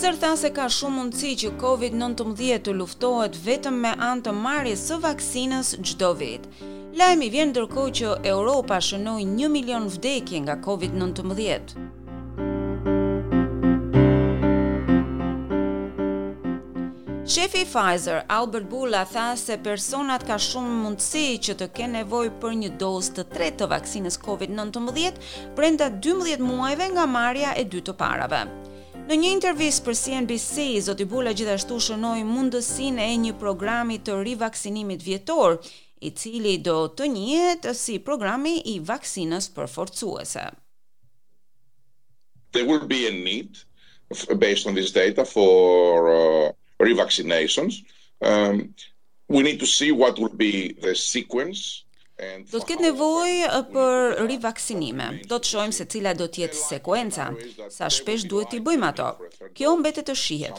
Pfizer tha se ka shumë mundësi që Covid-19 të luftohet vetëm me anë të marrjes së vaksinës çdo vit. Lajmi vjen ndërkohë që Europa shënoi 1 milion vdekje nga Covid-19. Shefi i Pfizer, Albert Bourla tha se personat ka shumë mundësi që të kenë nevojë për një dozë të tretë të vaksinës Covid-19 brenda 12 muajve nga marrja e dy të parave. Në një intervistë për CNBC, zoti Bourla gjithashtu shënoi mundësinë e një programi të rivaksinimit vjetor, i cili do të njihet si programi i vaksinës përforcuese. There will be a need based on this data for uh, revaccinations. Um, we need to see what will be the sequence Do të ketë nevojë uh, për rivaksinime. Do të shohim se cila do të jetë sekuenca, sa shpesh duhet t'i bëjmë ato. Kjo mbetet të shihet.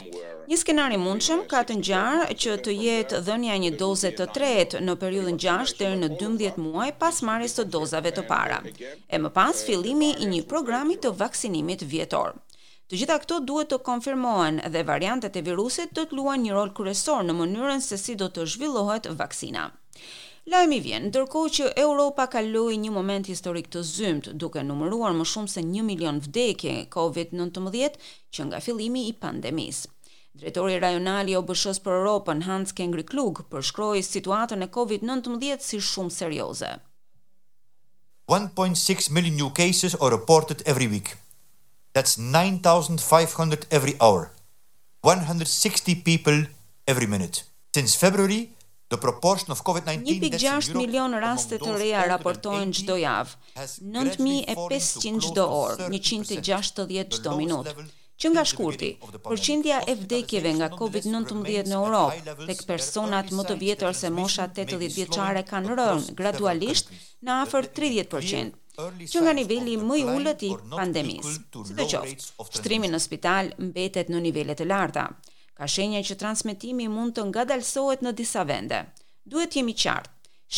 Një skenar i mundshëm ka të ngjarë që të jetë dhënia e një doze të tretë në periudhën 6 deri në 12 muaj pas marrjes së dozave të para. E më pas fillimi i një programi të vaksinimit vjetor. Të gjitha këto duhet të konfirmohen dhe variantet e virusit do të luajnë një rol kryesor në mënyrën se si do të zhvillohet vaksina. Lajmi vjen ndërkohë që Europa kaloi një moment historik të zymtë, duke numëruar më shumë se 1 milion vdekje COVID-19 që nga fillimi i pandemisë. Drejtori rajonal i OBSH-së për Europën, Hans Henrik Kluge, përshkroi situatën e COVID-19 si shumë serioze. 1.6 million new cases are reported every week. That's 9,500 every hour. 160 people every minute. Since February, the proportion of COVID-19 deaths in 1.6 Europe milion raste among të those reja older than raportohen 80 çdo javë, has gradually fallen to 9500 close çdo to orë, 30%, 160 the çdo lowest minutë. level Që nga since the shkurti, beginning of the pandemic. përqindja e vdekjeve nga Hospitalization nonetheless COVID-19 remains në at Europë, high levels. tek There are personat early më të signs that vjetër se mosha transmission may be 80 vjeçare slowing kanë across rënë several gradualisht countries. në But afër let me be clear, 30%, early që nga signs of niveli më i decline ulët i are not pandemisë. equal to low Sidoqoftë, rates of shtrimi transmission. në spital mbetet në nivele të larta. Ka shenja që transmetimi mund të ngadalësohet në disa vende. Duhet jemi qartë.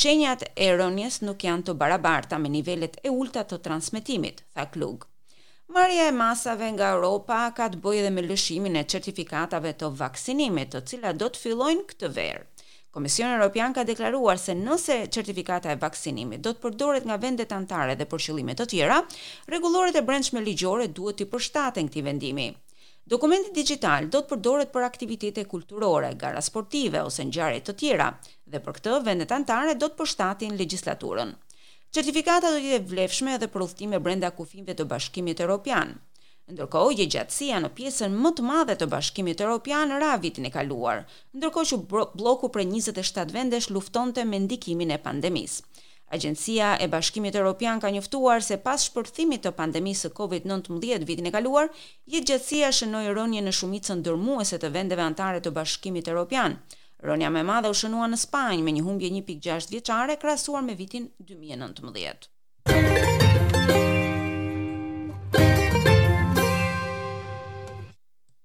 Shenjat e rënjes nuk janë të barabarta me nivelet e ulta të transmetimit, tha Klug. Marrja e masave nga Europa ka të bëjë edhe me lëshimin e certifikatave të vaksinimit, të cilat do të fillojnë këtë verë. Komisioni Evropian ka deklaruar se nëse certifikata e vaksinimit do të përdoret nga vendet anëtare dhe për qëllime të tjera, rregulloret e brendshme ligjore duhet t'i përshtaten këtij vendimi. Dokumenti digital do të përdoret për aktivitete kulturore, gara sportive ose ngjarje të tjera, dhe për këtë vendet anëtare do të përshtatin legjislaturën. Certifikata do të jetë e vlefshme edhe për udhëtime brenda kufinve të Bashkimit Evropian. Ndërkohë, jetëgjatësia në pjesën më të madhe të Bashkimit Evropian ra vitin e kaluar, ndërkohë që blloku prej 27 vendesh luftonte me ndikimin e pandemisë. Agjencia e Bashkimit Evropian ka njoftuar se pas shpërthimit të pandemisë së COVID-19 vitin e kaluar, jetëgjatësia shënoi rënje në shumicën dërmuese të vendeve anëtare të Bashkimit Evropian. Rënia më e madhe u shënua në Spanjë me një humbje 1.6 vjeçare krahasuar me vitin 2019.